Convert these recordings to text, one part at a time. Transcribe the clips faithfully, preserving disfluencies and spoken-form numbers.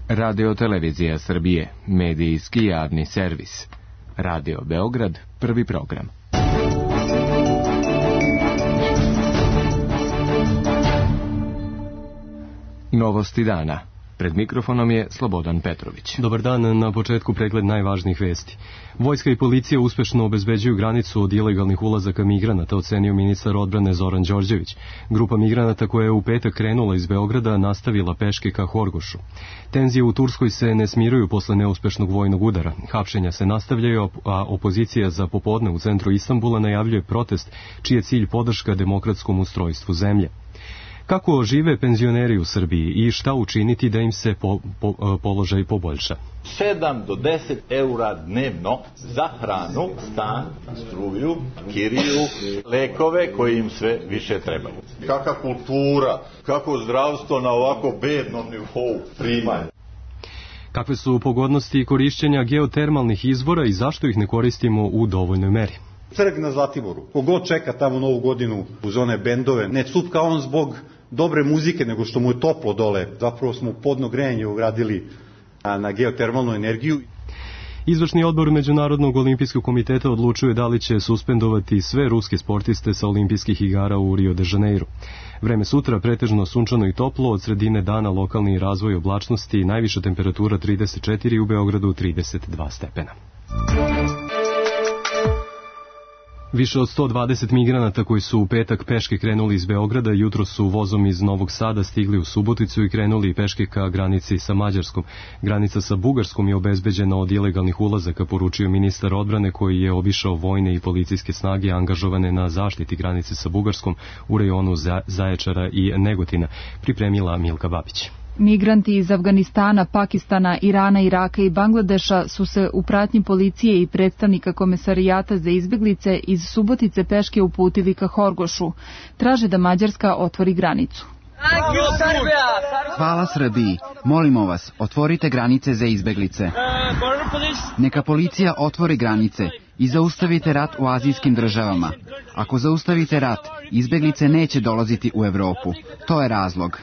Radio Televizija Srbije, medijski javni servis. Radio Beograd, prvi program. Novosti dana. Pred mikrofonom je Slobodan Petrović. Dobar dan, na početku pregled najvažnijih vesti. Vojska i policija uspešno obezbeđuju granicu od ilegalnih ulazaka migranata, ocenio ministar odbrane Zoran Đorđević. Grupa migranata koja je u petak krenula iz Beograda nastavila peške ka Horgošu. Tenzije u Turskoj se ne smiruju posle neuspešnog vojnog udara. Hapšenja se nastavljaju, a opozicija za popodne u centru Istanbula najavljuje protest čiji je cilj podrška demokratskom ustrojstvu zemlje. Kako žive penzioneri u Srbiji i šta učiniti da im se po, po, položaj poboljša? sedam do deset eura dnevno za hranu, stan, struju, kiriju, lekove koji im sve više trebaju. Kakva kultura, kako zdravstvo na ovako bednom nivou primanja. Kakve su pogodnosti korišćenja geotermalnih izvora i zašto ih ne koristimo u dovoljnoj meri? Trg na Zlatiboru. Kogod čeka tamo novu godinu uz one bendove, ne cupka on zbog dobre muzike, nego što mu je toplo dole. Zapravo smo podno grejanje ugradili na geotermalnu energiju. Izvršni odbor Međunarodnog olimpijskog komiteta odlučuje da li će suspendovati sve ruske sportiste sa olimpijskih igara u Rio de Janeiro. Vreme sutra pretežno sunčano i toplo, od sredine dana lokalni razvoj oblačnosti, najviša temperatura trideset četiri, u Beogradu trideset dva stepena. Više od sto dvadeset migranata koji su u petak peške krenuli iz Beograda, jutro su vozom iz Novog Sada stigli u Suboticu i krenuli peške ka granici sa Mađarskom. Granica sa Bugarskom je obezbeđena od ilegalnih ulazaka, poručio ministar odbrane koji je obišao vojne i policijske snage angažovane na zaštiti granice sa Bugarskom u rejonu Zaječara i Negotina, pripremila Milka Babić. Migranti iz Afganistana, Pakistana, Irana, Iraka i Bangladeša su se u pratnji policije i predstavnika Komesarijata za izbeglice iz Subotice peške uputili ka Horgošu. Traže da Mađarska otvori granicu. Hvala Srbiji. Molimo vas, otvorite granice za izbeglice. Neka policija otvori granice i zaustavite rat u azijskim državama. Ako zaustavite rat, izbeglice neće dolaziti u Evropu. To je razlog.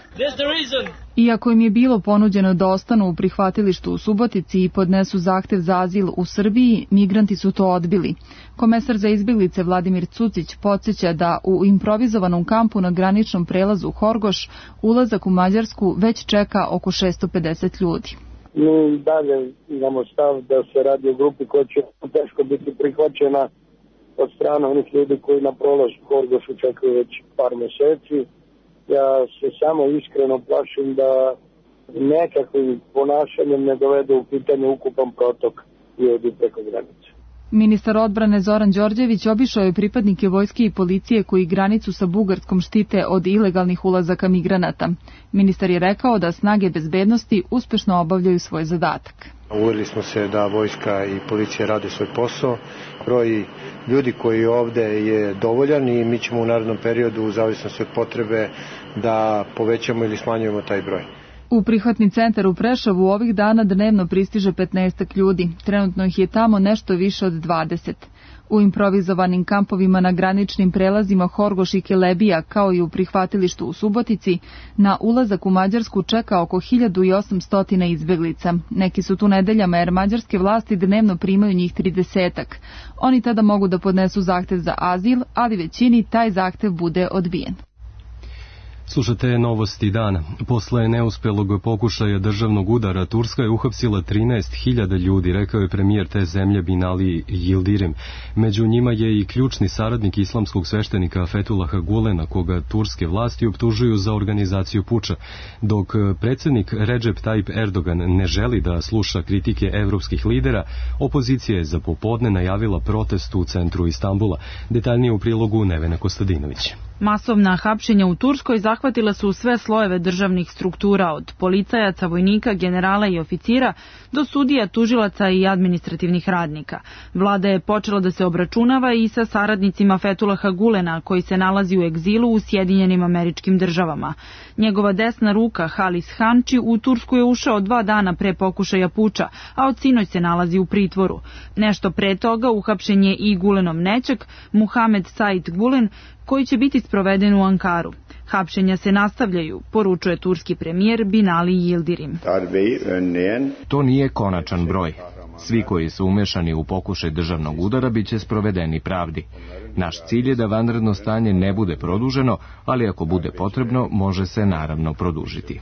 Iako im je bilo ponuđeno da ostanu u prihvatilištu u Subotici i podnesu zahtev za azil u Srbiji, migranti su to odbili. Komesar za izbeglice Vladimir Cucić podsjeća da u improvizovanom kampu na graničnom prelazu Horgoš ulazak u Mađarsku već čeka oko šesto pedeset ljudi. Mi dalje imamo stav da se radi o grupi koja će teško biti prihvaćena od strane onih ljudi koji na prolazu Horgošu čekaju već par meseci. Ja se samo iskreno plašim da nekakvim ponašanjem ne dovede u pitanje ukupan protok ljudi preko granice. Ministar odbrane Zoran Đorđević obišao je pripadnike vojske i policije koji granicu sa Bugarskom štite od ilegalnih ulazaka migranata. Ministar je rekao da snage bezbednosti uspešno obavljaju svoj zadatak. Uverili smo se da vojska i policija rade svoj posao. Broj ljudi koji ovde je dovoljan i mi ćemo u narednom periodu, u zavisnosti od potrebe, da povećamo ili smanjujemo taj broj. U prihvatni centar u Preševu ovih dana dnevno pristiže petnaestak ljudi. Trenutno ih je tamo nešto više od dvadeset. U improvizovanim kampovima na graničnim prelazima Horgoš i Kelebija, kao i u prihvatilištu u Subotici, na ulazak u Mađarsku čeka oko hiljadu osamsto izbeglica. Neki su tu nedeljama jer mađarske vlasti dnevno primaju njih tridesetak. Oni tada mogu da podnesu zahtev za azil, ali većini taj zahtev bude odbijen. Slušate novosti dana. Posle neuspelog pokušaja državnog udara, Turska je uhapsila trinaest hiljada ljudi, rekao je premijer te zemlje Binali Yildirim. Među njima je i ključni saradnik islamskog sveštenika Fethullaha Gulena, koga turske vlasti optužuju za organizaciju puča. Dok predsjednik Recep Tayyip Erdogan ne želi da sluša kritike evropskih lidera, opozicija je za popodne najavila protest u centru Istanbula. Detaljnije u prilogu Nevena Kostadinović. Masovna hapšenja u Turskoj zahvatila su sve slojeve državnih struktura, od policajaca, vojnika, generala i oficira do sudija, tužilaca i administrativnih radnika. Vlada je počela da se obračunava i sa saradnicima Fethullaha Gulena, koji se nalazi u egzilu u Sjedinjenim Američkim Državama. Njegova desna ruka, Halis Hanči, u Tursku je ušao dva dana pre pokušaja puča, a od sinoć se nalazi u pritvoru. Nešto pre toga uhapšen je i Gulenov nećak, Muhamed Said Gulen, koji će biti sproveden u Ankaru. Hapšenja se nastavljaju, poručuje turski premijer Binali Yildirim. To nije konačan broj. Svi koji su umešani u pokušaj državnog udara biće sprovedeni pravdi. Naš cilj je da vanredno stanje ne bude produženo, ali ako bude potrebno, može se naravno produžiti.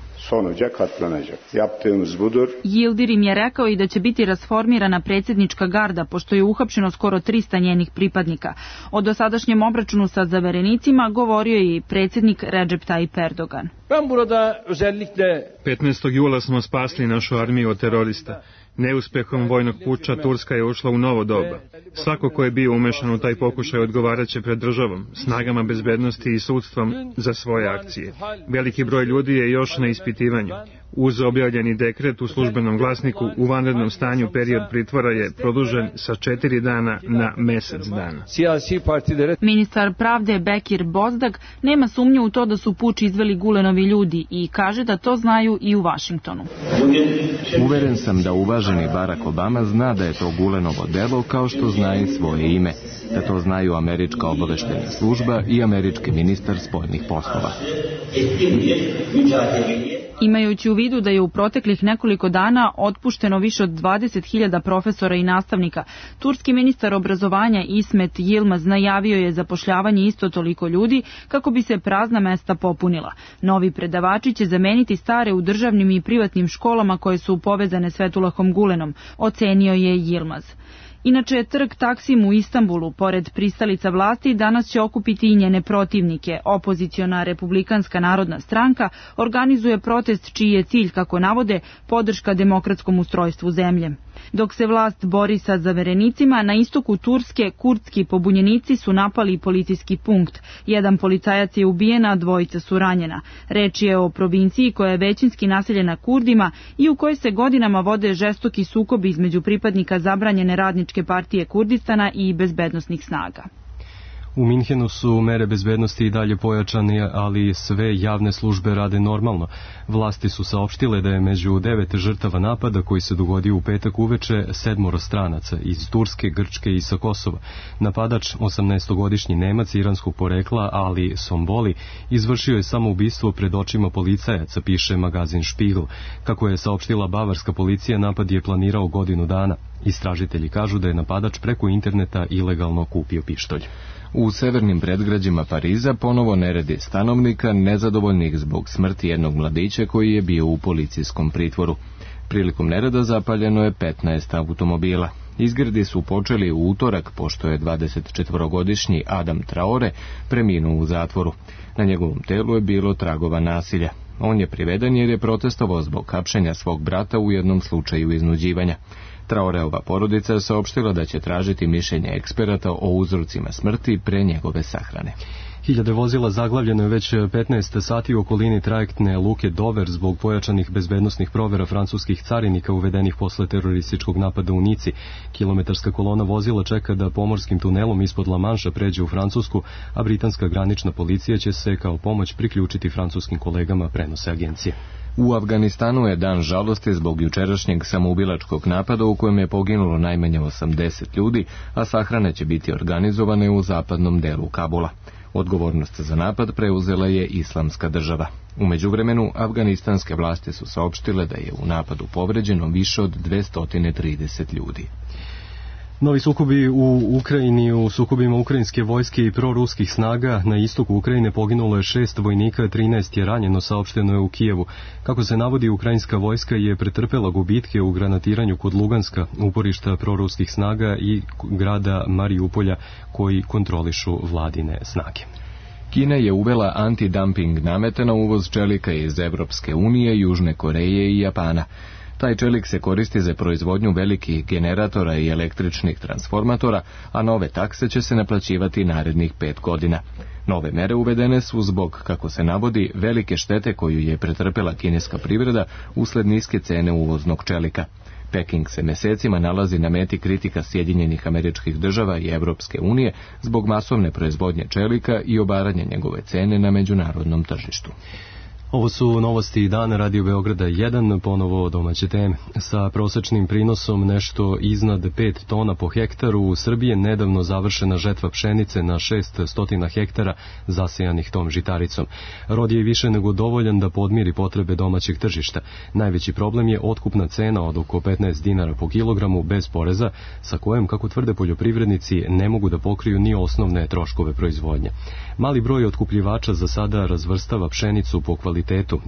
Yildirim je rekao i da će biti rasformirana predsjednička garda, pošto je uhapšeno skoro trista njenih pripadnika. O dosadašnjem obračunu sa zaverenicima govorio je i predsjednik Recep Tayyip Erdogan. petnaestog jula smo spasli našu armiju od terorista. Neuspehom vojnog puča Turska je ušla u novo doba. Svako ko je bio umešan u taj pokušaj odgovaraće pred državom, snagama bezbednosti i sudstvom za svoje akcije. Veliki broj ljudi je još na ispitivanju. Uz objavljeni dekret u službenom glasniku, u vanrednom stanju period pritvora je produžen sa četiri dana na mesec dana. Ministar pravde Bekir Bozdag nema sumnju u to da su puč izveli Gulenovi ljudi i kaže da to znaju i u Vašingtonu. Uveren sam da uvaženi Barack Obama zna da je to Gulenovo delo kao što zna i svoje ime, da to znaju američka obaveštena služba i američki ministar spoljnih poslova. Imajući u vidu da je u proteklih nekoliko dana otpušteno više od dvadeset hiljada profesora i nastavnika, turski ministar obrazovanja Ismet Yilmaz najavio je zapošljavanje isto toliko ljudi kako bi se prazna mesta popunila. Novi predavači će zameniti stare u državnim i privatnim školama koje su povezane s Fethullahom Gulenom, ocenio je Yilmaz. Inače, trg Taksim u Istanbulu, pored pristalica vlasti, danas će okupiti i njene protivnike. Opoziciona Republikanska narodna stranka organizuje protest čiji je cilj, kako navode, podrška demokratskom ustrojstvu zemlje. Dok se vlast bori sa zaverenicima, na istoku Turske kurdski pobunjenici su napali policijski punkt. Jedan policajac je ubijen, a dvojica su ranjena. Reč je o provinciji koja je većinski naseljena Kurdima i u kojoj se godinama vode žestoki sukobi između pripadnika zabranjene radničke partije Kurdistana i bezbednosnih snaga. U Minhenu su mere bezbednosti i dalje pojačane, ali sve javne službe rade normalno. Vlasti su saopštile da je među devet žrtava napada koji se dogodio u petak uveče sedmoro stranaca iz Turske, Grčke i sa Kosova. Napadač, osamnaestogodišnji Nemac iranskog porekla Ali Somboli, izvršio je samoubistvo pred očima policajaca, piše magazin Spiegel. Kako je saopštila bavarska policija, napad je planirao godinu dana. Istražitelji kažu da je napadač preko interneta ilegalno kupio pištolj. U severnim predgrađima Pariza ponovo neredi stanovnika nezadovoljnih zbog smrti jednog mladića koji je bio u policijskom pritvoru. Prilikom nereda zapaljeno je petnaest automobila. Izgredi su počeli u utorak, pošto je dvadesetčetvorogodišnji Adam Traore preminuo u zatvoru. Na njegovom telu je bilo tragova nasilja. On je priveden jer je protestovao zbog hapšenja svog brata u jednom slučaju iznuđivanja. Traoreova porodica saopštila da će tražiti mišljenje eksperata o uzrocima smrti pre njegove sahrane. Hiljade vozila zaglavljeno je već petnaest sati u okolini trajektne luke Dover zbog pojačanih bezbednosnih provera francuskih carinika uvedenih posle terorističkog napada u Nici. Kilometarska kolona vozila čeka da pomorskim tunelom ispod La Manša pređe u Francusku, a britanska granična policija će se kao pomoć priključiti francuskim kolegama, prenose agencije. U Afganistanu je dan žalosti zbog jučerašnjeg samoubilačkog napada u kojem je poginulo najmanje osamdeset ljudi, a sahrane će biti organizovane u zapadnom delu Kabula. Odgovornost za napad preuzela je Islamska država. U međuvremenu, afganistanske vlasti su saopštile da je u napadu povređeno više od dvesta trideset ljudi. Novi sukobi u Ukrajini, u sukobima ukrajinske vojske i proruskih snaga na istoku Ukrajine poginulo je šest vojnika, trinaest je ranjeno, saopšteno je u Kijevu. Kako se navodi, ukrajinska vojska je pretrpela gubitke u granatiranju kod Luganska, uporišta proruskih snaga i grada Mariupolja koji kontrolišu vladine snage. Kina je uvela antidumping namete na uvoz čelika iz Evropske unije, Južne Koreje i Japana. Taj čelik se koristi za proizvodnju velikih generatora i električnih transformatora, a nove takse će se naplaćivati narednih pet godina. Nove mere uvedene su zbog, kako se navodi, velike štete koju je pretrpela kineska privreda usled niske cene uvoznog čelika. Peking se mesecima nalazi na meti kritika Sjedinjenih Američkih Država i Evropske unije zbog masovne proizvodnje čelika i obaranja njegove cene na međunarodnom tržištu. Ovo su novosti dana Radio Beograda jedan, ponovo domaće teme. Sa prosečnim prinosom nešto iznad pet tona po hektaru u Srbiji je nedavno završena žetva pšenice na šesnaest hektara zasejanih tom žitaricom. Rod je više nego dovoljan da podmiri potrebe domaćeg tržišta. Najveći problem je otkupna cena od oko petnaest dinara po kilogramu bez poreza, sa kojom, kako tvrde poljoprivrednici, ne mogu da pokriju ni osnovne troškove proizvodnje. Mali broj otkupljivača za sada razvrstava pšenicu po kvalitetu,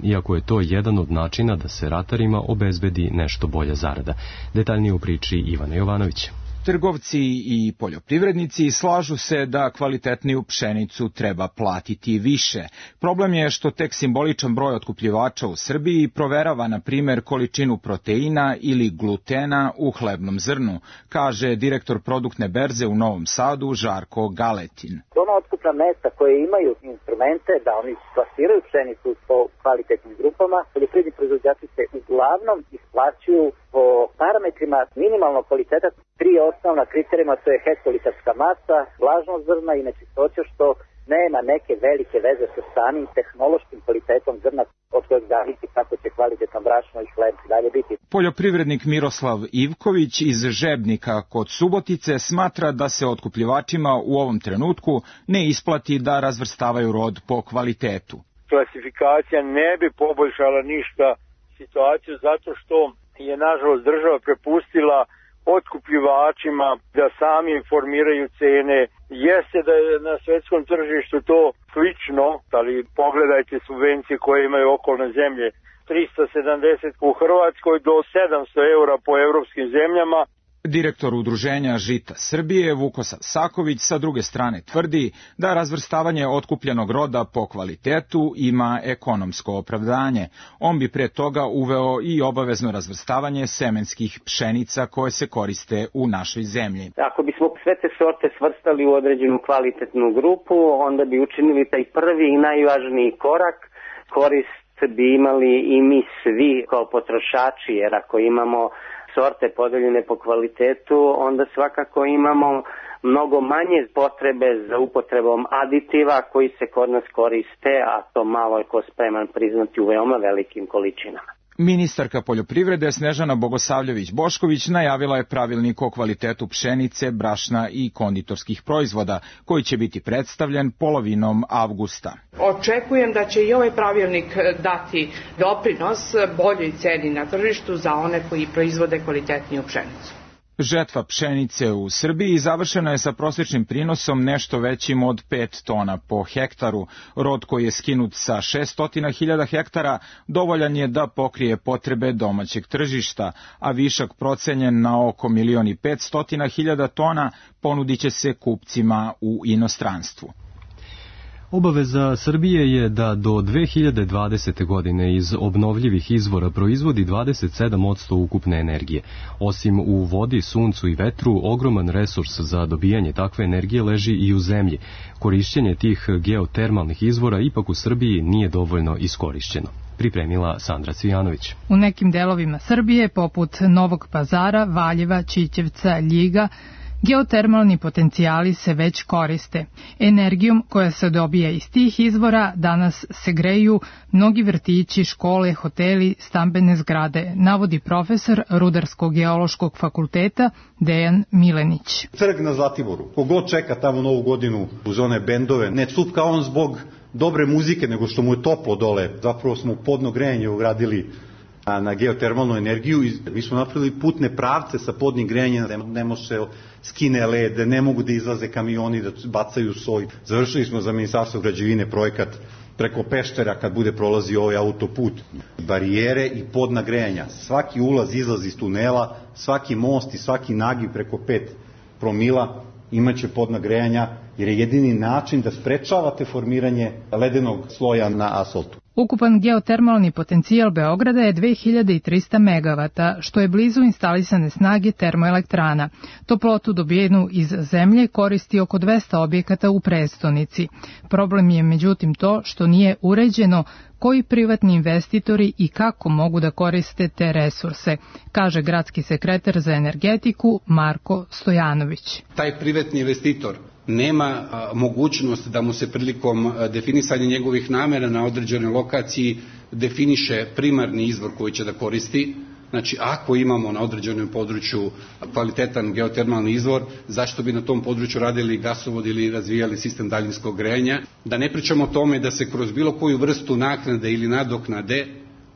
iako je to jedan od načina da se ratarima obezbedi nešto bolja zarada. Detaljnije u priči Ivana Jovanović. Trgovci i poljoprivrednici slažu se da kvalitetniju pšenicu treba platiti više. Problem je što tek simboličan broj otkupljivača u Srbiji proverava, na primjer, količinu proteina ili glutena u hlebnom zrnu, kaže direktor produktne berze u Novom Sadu Žarko Galetin. Ona otkupna mesta koje imaju instrumente da oni plasiraju pšenicu po kvalitetnim grupama, poljoprivredni proizvođači se uglavnom isplaćuju po parametrima minimalnog kvaliteta. Tri osnovna kriterijuma, to je hektolitarska masa, vlažnost zrna i nečistoća, što nema neke velike veze sa samim tehnološkim kvalitetom zrna, od kojeg zavisi kako će kvalitetno brašno i hleb dalje biti. Poljoprivrednik Miroslav Ivković iz Žebnika kod Subotice smatra da se otkupljivačima u ovom trenutku ne isplati da razvrstavaju rod po kvalitetu. Klasifikacija ne bi poboljšala ništa situaciju zato što je nažalost država prepustila otkupljivačima da sami formiraju cene. Jeste da je na svetskom tržištu to slično, ali pogledajte subvencije koje imaju okolne zemlje. trista sedamdeset u Hrvatskoj do sedamsto eura po evropskim zemljama. Direktor udruženja Žita Srbije Vukosav Saković sa druge strane tvrdi da razvrstavanje otkupljenog roda po kvalitetu ima ekonomsko opravdanje. On bi pre toga uveo i obavezno razvrstavanje semenskih pšenica koje se koriste u našoj zemlji. Ako bismo sve te sorte svrstali u određenu kvalitetnu grupu, onda bi učinili taj prvi i najvažniji korak. Korist bi imali i mi svi kao potrošači, jer ako imamo sorte podeljene po kvalitetu, onda svakako imamo mnogo manje potrebe za upotrebom aditiva koji se kod nas koriste, a to malo je ko spreman priznati u veoma velikim količinama. Ministarka poljoprivrede Snežana Bogosavljević-Bošković najavila je pravilnik o kvalitetu pšenice, brašna i konditorskih proizvoda, koji će biti predstavljen polovinom avgusta. Očekujem da će i ovaj pravilnik dati doprinos boljoj ceni na tržištu za one koji proizvode kvalitetniju pšenicu. Žetva pšenice u Srbiji završena je sa prosječnim prinosom nešto većim od pet tona po hektaru. Rod koji je skinut sa šesnaest hiljada hektara dovoljan je da pokrije potrebe domaćeg tržišta, a višak procenjen na oko milion i petsto hiljada tona ponudit će se kupcima u inostranstvu. Obaveza Srbije je da do dve hiljade dvadesete. godine iz obnovljivih izvora proizvodi dvadeset sedam posto ukupne energije. Osim u vodi, suncu i vetru, ogroman resurs za dobijanje takve energije leži i u zemlji. Korišćenje tih geotermalnih izvora ipak u Srbiji nije dovoljno iskorišćeno. Pripremila Sandra Cvijanović. U nekim delovima Srbije, poput Novog Pazara, Valjeva, Ćićevca, Ljiga, geotermalni potencijali se već koriste. Energijom koja se dobija iz tih izvora danas se greju mnogi vrtići, škole, hoteli, stambene zgrade, navodi profesor Rudarsko-geološkog fakulteta Dejan Milenić. Trg na Zlatiboru. Kogod čeka tamo Novu godinu uz one bendove, ne cupka on zbog dobre muzike, nego što mu je toplo dole. Zapravo smo podno grejanje ugradili na geotermalnu energiju i mi smo napravili putne pravce sa podnim grejanjem, ne može se skine led, ne mogu da izlaze kamioni, da bacaju soj. Završili smo za Ministarstvo građevine projekat preko Peštera kad bude prolazio ovaj autoput. Barijere i podna grejanja. Svaki ulaz, izlaz iz tunela, svaki most i svaki nagib preko pet promila imaće podna grejanja, jer je jedini način da sprečavate formiranje ledenog sloja na asfaltu. Ukupan geotermalni potencijal Beograda je dve hiljade trista megavata, što je blizu instalisane snage termoelektrana. Toplotu dobijenu iz zemlje koristi oko dvesta objekata u prestonici. Problem je međutim to što nije uređeno koji privatni investitori i kako mogu da koriste te resurse, kaže gradski sekretar za energetiku Marko Stojanović. Taj privatni investitor nema mogućnost da mu se prilikom definisanja njegovih namera na određenoj lokaciji definiše primarni izvor koji će da koristi. Znači, ako imamo na određenom području kvalitetan geotermalni izvor, zašto bi na tom području radili gasovod ili razvijali sistem daljinskog grejanja? Da ne pričamo o tome da se kroz bilo koju vrstu naknade ili nadoknade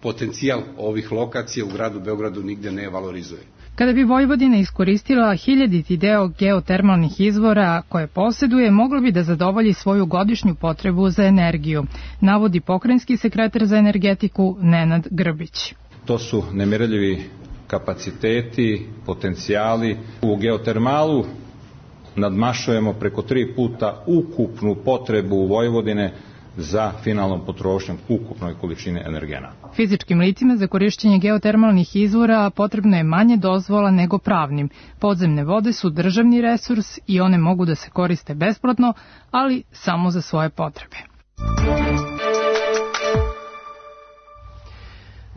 potencijal ovih lokacija u gradu Beogradu nigde ne valorizuje. Kada bi Vojvodina iskoristila hiljaditi deo geotermalnih izvora koje posjeduje, moglo bi da zadovolji svoju godišnju potrebu za energiju, navodi pokrajinski sekretar za energetiku Nenad Grbić. To su nemerljivi kapaciteti, potencijali. U geotermalu nadmašujemo preko tri puta ukupnu potrebu Vojvodine za finalnom potrošnjom ukupnoj količine energenata. Fizičkim licima za korišćenje geotermalnih izvora potrebno je manje dozvola nego pravnim. Podzemne vode su državni resurs i one mogu da se koriste besplatno, ali samo za svoje potrebe.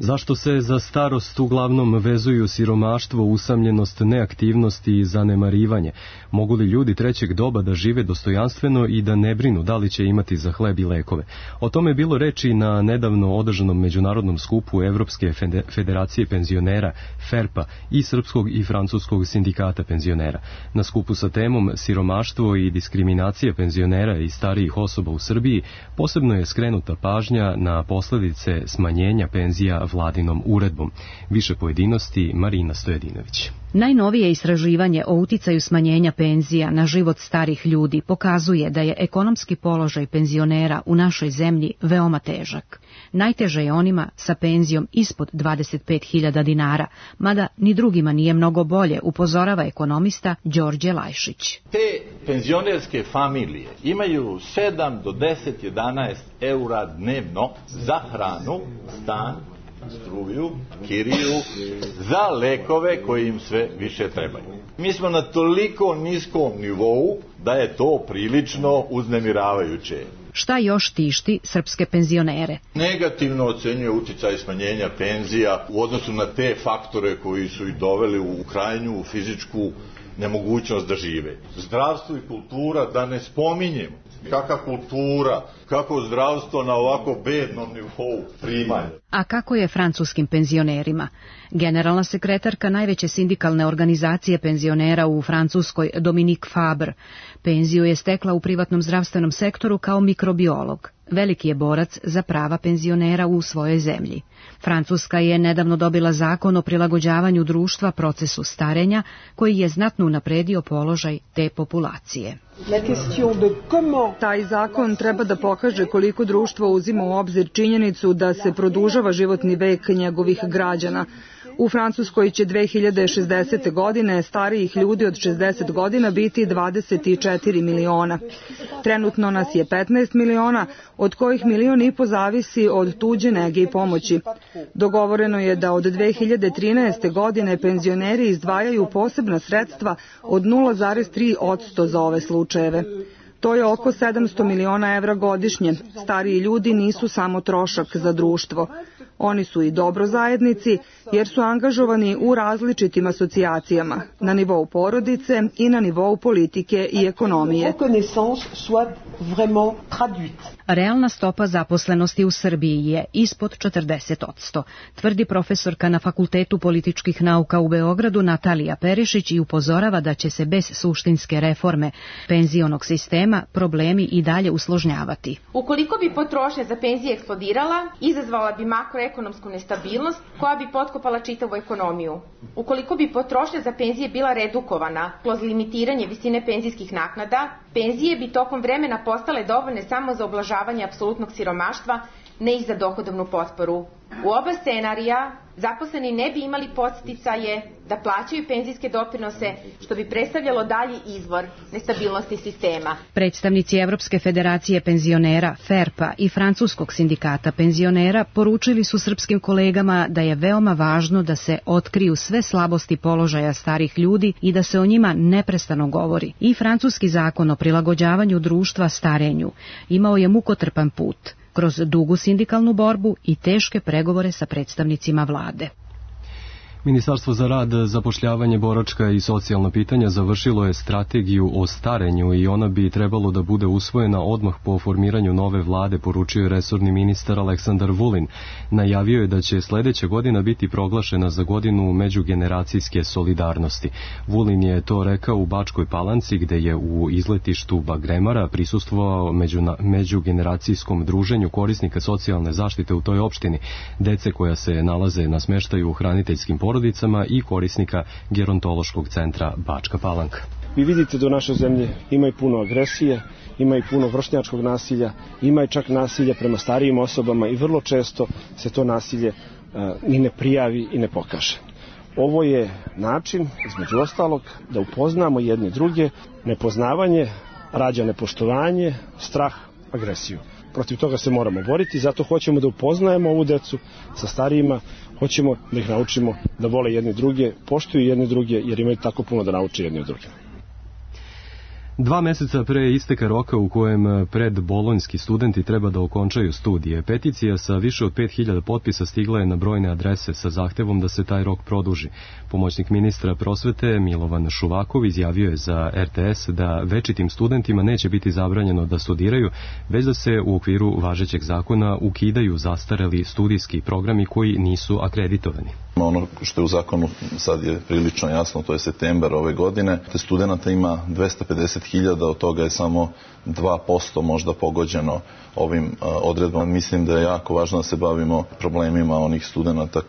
Zašto se za starost uglavnom vezuju siromaštvo, usamljenost, neaktivnost i zanemarivanje? Mogu li ljudi trećeg doba da žive dostojanstveno i da ne brinu da li će imati za hleb i lekove? O tome je bilo reči na nedavno održanom međunarodnom skupu Evropske federacije penzionera FERPA i Srpskog i Francuskog sindikata penzionera. Na skupu sa temom siromaštvo i diskriminacija penzionera i starijih osoba u Srbiji posebno je skrenuta pažnja na posledice smanjenja penzija vladinom uredbom. Više pojedinosti Marina Stojedinović. Najnovije istraživanje o uticaju smanjenja penzija na život starih ljudi pokazuje da je ekonomski položaj penzionera u našoj zemlji veoma težak. Najteže je onima sa penzijom ispod dvadeset pet hiljada dinara, mada ni drugima nije mnogo bolje, upozorava ekonomista Đorđe Lajšić. Te penzionerske familije imaju sedam do deset, jedanaest eura dnevno za hranu, stan, struju, kiriju, za lekove koji im sve više trebaju. Mi smo na toliko niskom nivou da je to prilično uznemiravajuće. Šta još tišti srpske penzionere? Negativno ocenjuje uticaj smanjenja penzija u odnosu na te faktore koji su ih doveli u krajnju fizičku nemogućnost da žive. Zdravstvo i kultura, da ne spominjem. Kakva kultura, kako zdravstvo na ovako bednom nivou primanja. A kako je francuskim penzionerima? Generalna sekretarka najveće sindikalne organizacije penzionera u Francuskoj, Dominique Fabre, penziju je stekla u privatnom zdravstvenom sektoru kao mikrobiolog. Veliki je borac za prava penzionera u svojoj zemlji. Francuska je nedavno dobila zakon o prilagođavanju društva procesu starenja, koji je znatno unapredio položaj te populacije. Taj zakon treba da pokaže koliko društvo uzima u obzir činjenicu da se produžava životni vek njegovih građana. U Francuskoj će dve hiljade šezdesete. godine starijih ljudi od šezdeset godina biti dvadeset četiri miliona. Trenutno nas je petnaest miliona, od kojih milion i po zavisi od tuđe nege i pomoći. Dogovoreno je da od dve hiljade trinaeste. godine penzioneri izdvajaju posebna sredstva od nula zarez tri posto za ove slučajeve. To je oko sedamsto miliona evra godišnje. Stariji ljudi nisu samo trošak za društvo. Oni su i dobro zajednici jer su angažovani u različitim asocijacijama, na nivou porodice i na nivou politike i ekonomije. Realna stopa zaposlenosti u Srbiji je ispod četrdeset posto, tvrdi profesorka na Fakultetu političkih nauka u Beogradu Natalija Perišić i upozorava da će se bez suštinske reforme penzionog sistema problemi i dalje usložnjavati. Ukoliko bi potrošnja za penzije eksplodirala, izazvala bi makroekonomsku nestabilnost koja bi potkopala čitavu ekonomiju. Ukoliko bi potrošnja za penzije bila redukovana kroz limitiranje visine penzijskih naknada, penzije bi tokom vremena postale dovoljne samo za oblažavanje apsolutnog siromaštva, ne i za dohodovnu potporu. U oba scenarija zaposleni ne bi imali podsticaje da plaćaju penzijske doprinose, što bi predstavljalo dalji izvor nestabilnosti sistema. Predstavnici Evropske federacije penzionera FERPA i Francuskog sindikata penzionera poručili su srpskim kolegama da je veoma važno da se otkriju sve slabosti položaja starih ljudi i da se o njima neprestano govori. I francuski zakon o prilagođavanju društva starenju imao je mukotrpan put kroz dugu sindikalnu borbu i teške pregovore sa predstavnicima vlade. Ministarstvo za rad, zapošljavanje, boračka i socijalna pitanja završilo je strategiju o starenju i ona bi trebalo da bude usvojena odmah po formiranju nove vlade, poručio je resorni ministar Aleksandar Vulin. Najavio je da će sledeća godina biti proglašena za godinu međugeneracijske solidarnosti. Vulin je to rekao u Bačkoj Palanci, gde je u izletištu Bagremara prisustvovao među, međugeneracijskom druženju korisnika socijalne zaštite u toj opštini, dece koja se nalaze na smeštaju u hraniteljskim porodicama i korisnika gerontološkog centra Bačka Palanka. Vi vidite da u našoj zemlji ima i puno agresije, ima i puno vršnjačkog nasilja, ima i čak nasilja prema starijim osobama i vrlo često se to nasilje uh, ni ne prijavi i ne pokaže. Ovo je način, između ostalog, da upoznamo jedne druge. Nepoznavanje rađa nepoštovanje, strah, agresiju. Protiv toga se moramo boriti, zato hoćemo da upoznajemo ovu decu sa starijima, hoćemo da ih naučimo da vole jedni druge, poštuju jedni druge, jer imaju tako puno da nauče jedni od drugima. Dva meseca pre isteka roka u kojem predbolonjski studenti treba da okončaju studije, peticija sa više od pet hiljada potpisa stigla je na brojne adrese sa zahtevom da se taj rok produži. Pomoćnik ministra prosvete Milovan Šuvakov izjavio je za er te es da večitim studentima neće biti zabranjeno da studiraju, već da se u okviru važećeg zakona ukidaju zastareli studijski programi koji nisu akreditovani. Ono što je u zakonu sad je prilično jasno, to je septembar ove godine. Te studenta ima dvesta pedeset hiljada, od toga je samo dva posto možda pogođeno ovim odredbama. Mislim da je jako važno da se bavimo problemima onih studenta,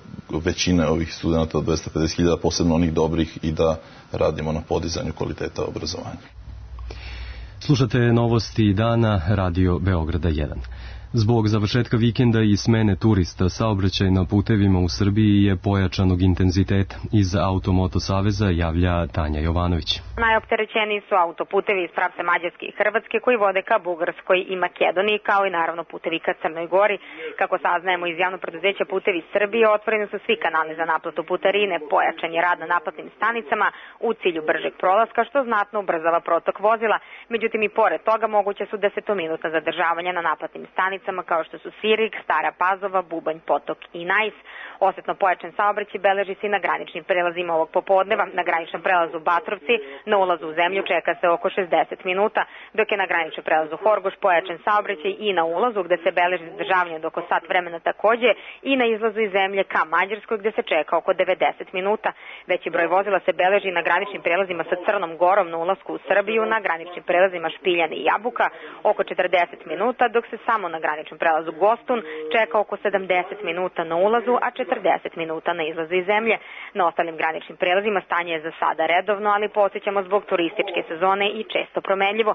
većine ovih studenta od dvesta pedeset hiljada, posebno onih dobrih, i da radimo na podizanju kvaliteta obrazovanja. Slušate novosti dana, Radio Beograda jedan. Zbog završetka vikenda i smene turista, saobraćaj na putevima u Srbiji je pojačanog intenziteta. Iz Automoto Saveza javlja Tanja Jovanović. Najopterećeniji su autoputevi iz pravca Mađarske i Hrvatske koji vode ka Bugarskoj i Makedoniji, kao i naravno putevi ka Crnoj Gori. Kako saznajemo iz javnog preduzeća Putevi Srbije, otvoreni su svi kanali za naplatu putarine, pojačan je rad na naplatnim stanicama u cilju bržeg prolaska, što znatno ubrzava protok vozila. Međutim, i pored toga moguće su desetominutna zadržavanja na naplatnim stanicama, kao što su Sirik, Stara Pazova, Bubanj, Potok i Najs. Osetno pojačan saobraćaj beleži se i na graničnim prelazima ovog popodneva. Na graničnom prelazu Batrovci na ulazu u zemlju čeka se oko šezdeset minuta, dok je na graničnom prelazu Horgoš pojačan saobraćaj i na ulazu gde se beleži zadržavanje od oko sat vremena takođe, i na izlazu iz zemlje ka Mađarskoj gde se čeka oko devedeset minuta. Veći broj vozila se beleži na graničnim prelazima sa Crnom Gorom na ulasku u Srbiju, na graničnim prelazima Špiljan i Jabuka oko četrdeset minuta, dok se samo na graničnom prelazu Gostun čeka oko sedamdeset minuta na ulazu, a četrdeset minuta na izlazu iz zemlje. Na ostalim graničnim prelazima stanje je za sada redovno, ali podsjećamo zbog turističke sezone i često promenljivo.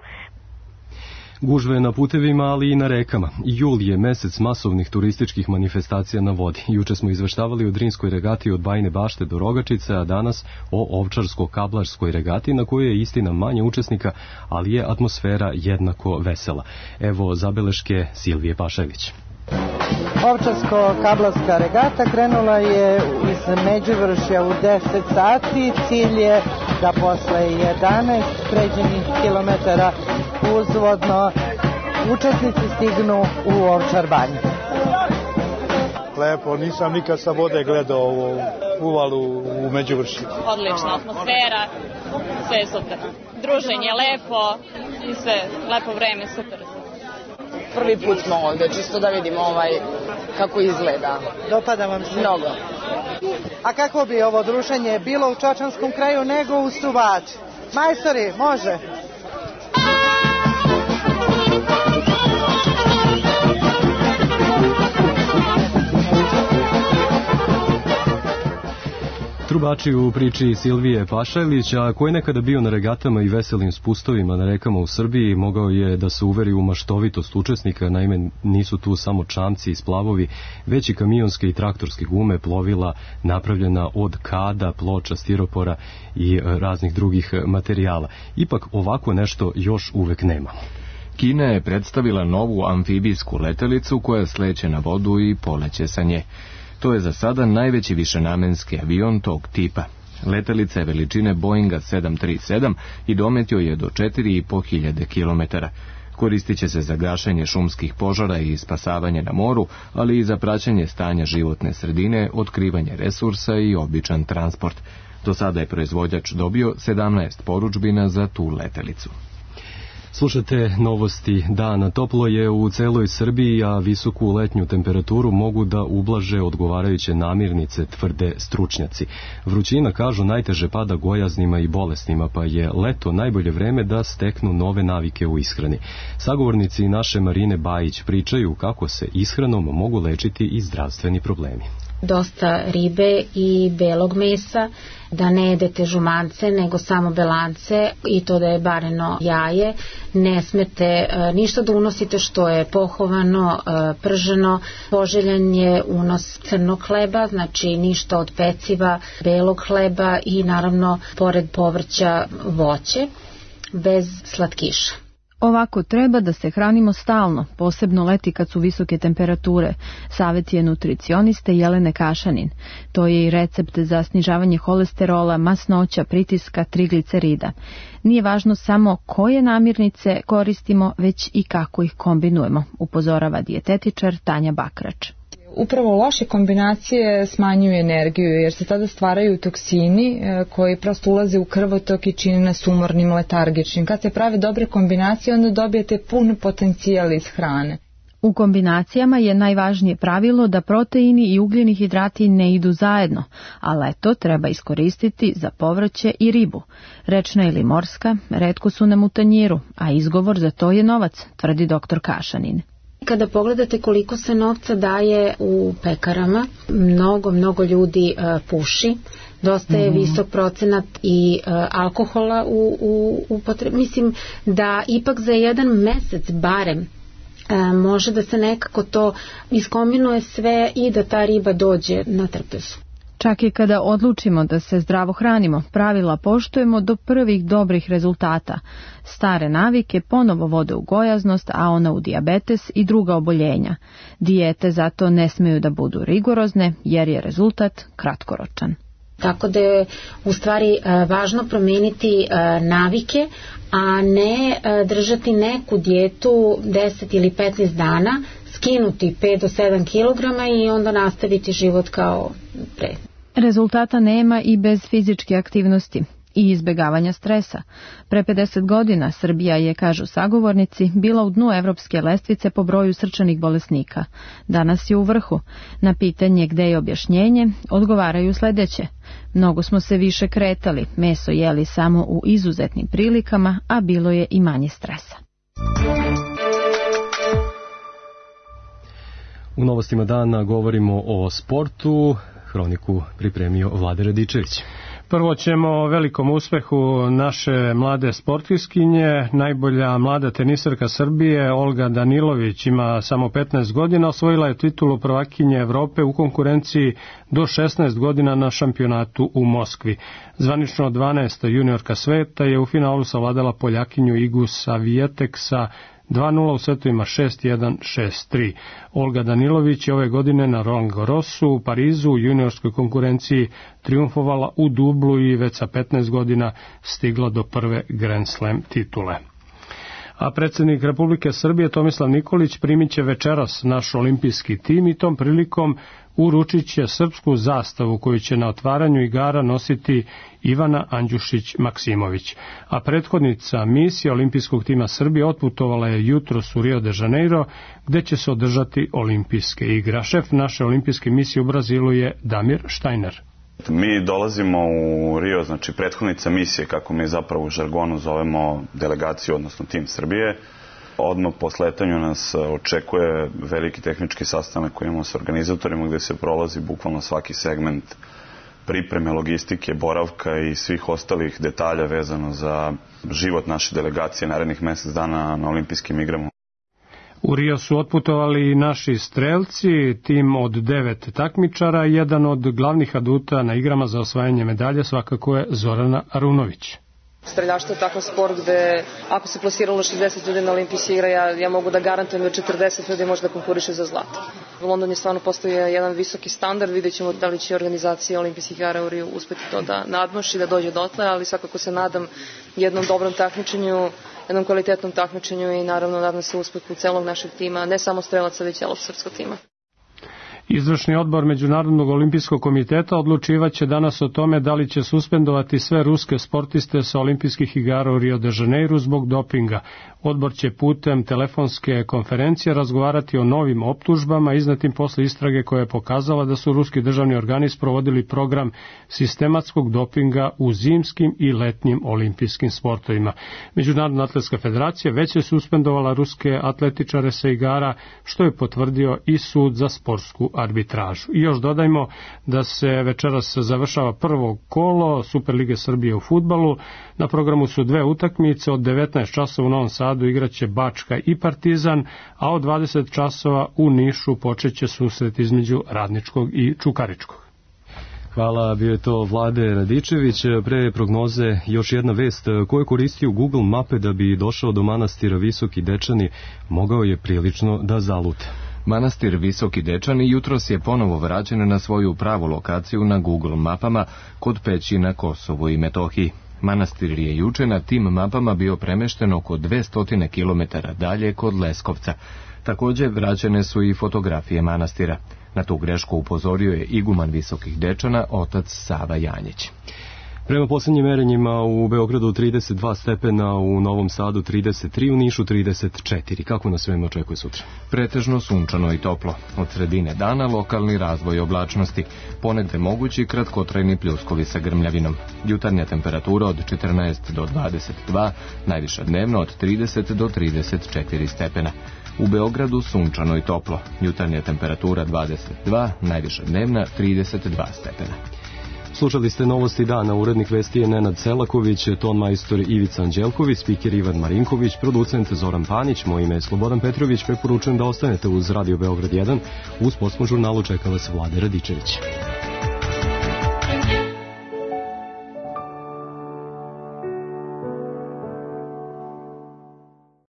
Gužve na putevima, ali i na rekama. Jul je mesec masovnih turističkih manifestacija na vodi. Juče smo izveštavali o Drinskoj regati od Bajine Bašte do Rogačice, a danas o Ovčarsko-Kablarskoj regati, na kojoj je istina manje učesnika, ali je atmosfera jednako vesela. Evo zabeleške Silvije Pašević. Ovčarsko-Kablarska regata krenula je iz Međuvršja u deset sati. Cilj je da posle jedanaest pređenih kilometara uzvodno učesnici stignu u Ovčar banju. Lepo, nisam nikad sa vode gledao ovu uvalu u Međuvršju. Odlična atmosfera, sve je super. Druženje lepo i sve, lepo vreme, super. Prvi put smo ovde, čisto da vidimo ovaj, kako izgleda. Dopada vam se? Mnogo. A kako bi ovo druženje bilo u Čačanskom kraju nego u Suvači? Majstori, može? Trubači u priči Silvije Pašajlić, a koji je nekada bio na regatama i veselim spustovima na rekama u Srbiji, mogao je da se uveri u maštovitost učesnika. Naime, nisu tu samo čamci i splavovi, već i kamionske i traktorske gume, plovila napravljena od kada, ploča, stiropora i raznih drugih materijala. Ipak ovako nešto još uvek nemamo. Kina je predstavila novu amfibijsku letelicu koja sleće na vodu i poleće sa nje. To je za sada najveći višenamenski avion tog tipa. Letelica je veličine Boeinga sedam tri sedam i dometio je do četiri i po hiljade kilometara. Koristit će se za gašenje šumskih požara i spasavanje na moru, ali i za praćenje stanja životne sredine, otkrivanje resursa i običan transport. Do sada je proizvođač dobio sedamnaest poručbina za tu letelicu. Slušate novosti dana. Toplo je u celoj Srbiji, a visoku letnju temperaturu mogu da ublaže odgovarajuće namirnice, tvrde stručnjaci. Vrućina, kažu, najteže pada gojaznima i bolesnima, pa je leto najbolje vreme da steknu nove navike u ishrani. Sagovornici naše Marine Bajić pričaju kako se ishranom mogu lečiti i zdravstveni problemi. Dosta ribe i belog mesa, da ne jedete žumance nego samo belance i to da je bareno jaje, ne smete ništa da unosite što je pohovano, prženo, poželjan je unos crnog hleba, znači ništa od peciva, belog hleba i naravno pored povrća voće, bez slatkiša. Ovako treba da se hranimo stalno, posebno leti kad su visoke temperature, savjet je nutricioniste Jelene Kašanin. To je i recept za snižavanje holesterola, masnoća, pritiska, triglicerida. Nije važno samo koje namirnice koristimo, već i kako ih kombinujemo, upozorava dijetetičar Tanja Bakrač. Upravo loše kombinacije smanjuju energiju jer se tada stvaraju toksini koji prosto ulaze u krvotok i čine nas umornim, letargičnim. Kad se prave dobre kombinacije, onda dobijete pun potencijal iz hrane. U kombinacijama je najvažnije pravilo da proteini i ugljeni hidrati ne idu zajedno, a leto treba iskoristiti za povrće i ribu. Rečna ili morska retko su nam u tanjiru, a izgovor za to je novac, tvrdi doktor Kašanin. Kada pogledate koliko se novca daje u pekarama, mnogo, mnogo ljudi uh, puši, dosta je mm. visok procenat i uh, alkohola u, u, u potrebi. Mislim da ipak za jedan mesec barem uh, može da se nekako to iskombinuje sve i da ta riba dođe na trpezu. Čak i kada odlučimo da se zdravo hranimo, pravila poštujemo do prvih dobrih rezultata. Stare navike ponovo vode u gojaznost, a ona u dijabetes i druga oboljenja. Dijete zato ne smeju da budu rigorozne, jer je rezultat kratkoročan. Tako da je u stvari važno promeniti navike, a ne držati neku dijetu deset ili petnaest dana, skinuti pet do sedam kilograma i onda nastaviti život kao pre. Rezultata nema i bez fizičke aktivnosti i izbjegavanja stresa. Pre pedeset godina Srbija je, kažu sagovornici, bila u dnu evropske lestvice po broju srčanih bolesnika. Danas je u vrhu. Na pitanje gde je objašnjenje, odgovaraju sledeće. Mnogo smo se više kretali, meso jeli samo u izuzetnim prilikama, a bilo je i manje stresa. U novostima dana govorimo o sportu. Hroniku pripremio Vlade Radičević. Prvo ćemo o velikom uspehu naše mlade sportiskinje. Najbolja mlada tenisarka Srbije, Olga Danilović, ima samo petnaest godina, osvojila je titulu prvakinje Evrope u konkurenciji do šesnaest godina na šampionatu u Moskvi. Zvanično dvanaesta juniorka sveta je u finalu savladala Poljakinju Igu Savijatek sa dva nula u setovima šest jedan šest tri. Olga Danilović je ove godine na Roland Garrosu u Parizu u juniorskoj konkurenciji triumfovala u dublu i već sa petnaest godina stigla do prve Grand Slam titule. A predsjednik Republike Srbije Tomislav Nikolić primit će večeras naš olimpijski tim i tom prilikom uručit će srpsku zastavu koju će na otvaranju igara nositi Ivana Andjušić-Maksimović. A prethodnica misije olimpijskog tima Srbije otputovala je jutros u Rio de Janeiro, gde će se održati olimpijske igre. Šef naše olimpijske misije u Brazilu je Damir Štajner. Mi dolazimo u Rio, znači prethodnica misije, kako mi zapravo u žargonu zovemo delegaciju, odnosno tim Srbije. Odmah po sletanju nas očekuje veliki tehnički sastanak koji imamo s organizatorima, gde se prolazi bukvalno svaki segment pripreme, logistike, boravka i svih ostalih detalja vezano za život naše delegacije narednih mjesec dana na olimpijskim igrama. U Rio su otputovali i naši strelci, tim od devet takmičara. Jedan od glavnih aduta na igrama za osvajanje medalje svakako je Zorana Arunović. Streljaštvo je takav sport gde ako se plasiralo šezdeset ljudi na olimpijske igre, ja, ja mogu da garantujem da četrdeset ljudi može da konkuriše za zlato. London je stvarno postavio jedan visoki standard, vidjet ćemo da li će organizacija olimpijskih igara u Riju uspeti to da nadmaši, da dođe dotle, ali svakako se nadam jednom dobrom takmičenju, jednom kvalitetnom takmičenju i naravno nadam se uspehu celog našeg tima, ne samo strelaca, već celog srpskog tima. Izvršni odbor Međunarodnog olimpijskog komiteta odlučivaće danas o tome da li će suspendovati sve ruske sportiste sa olimpijskih igara u Rio de Janeiru zbog dopinga. Odbor će putem telefonske konferencije razgovarati o novim optužbama iznetim posle istrage koja je pokazala da su ruski državni organi sprovodili program sistematskog dopinga u zimskim i letnjim olimpijskim sportovima. Međunarodna atletska federacija već je suspendovala ruske atletičare sa igara, što je potvrdio i sud za sportsku arbitražu. I još dodajmo da se večeras završava prvo kolo Superlige Srbije u fudbalu. Na programu su dve utakmice, od devetnaest časova u Novom Sadu igraće Bačka i Partizan, a od dvadeset časova u Nišu počeće susret između Radničkog i Čukaričkog. Hvala, bio je to Vlade Radičević. Pre prognoze još jedna vest. Ko je koristio Google mape da bi došao do manastira Visoki Dečani, mogao je prilično da zalute. Manastir Visoki Dečani jutros je ponovo vraćen na svoju pravu lokaciju na Google mapama kod Peći na Kosovu i Metohiji. Manastir je juče na tim mapama bio premešten oko dvesta kilometara dalje kod Leskovca. Također vraćene su i fotografije manastira. Na tu grešku upozorio je iguman Visokih Dečana, otac Sava Janjić. Prema posljednjim merenjima u Beogradu trideset dva stepena, u Novom Sadu trideset tri, u Nišu trideset četiri. Kako nas vreme očekuje sutra? Pretežno sunčano i toplo. Od sredine dana lokalni razvoj oblačnosti. Ponegde mogući kratkotrajni pljuskovi sa grmljavinom. Jutarnja temperatura od četrnaest do dvadeset dva, najviša dnevno od trideset do trideset četiri stepena. U Beogradu sunčano i toplo. Jutarnja temperatura dvadeset dva, najviša dnevna trideset dva stepena. Slušali ste novosti dana, urednik vesti je Nenad Selaković, ton majstor Ivica Anđelković, spiker Ivan Marinković, producent Zoran Panić, moje ime je Slobodan Petrović, preporučujem da ostanete uz Radio Beograd jedan, uz sportskom žurnalu čeka vas Vlade Radičević.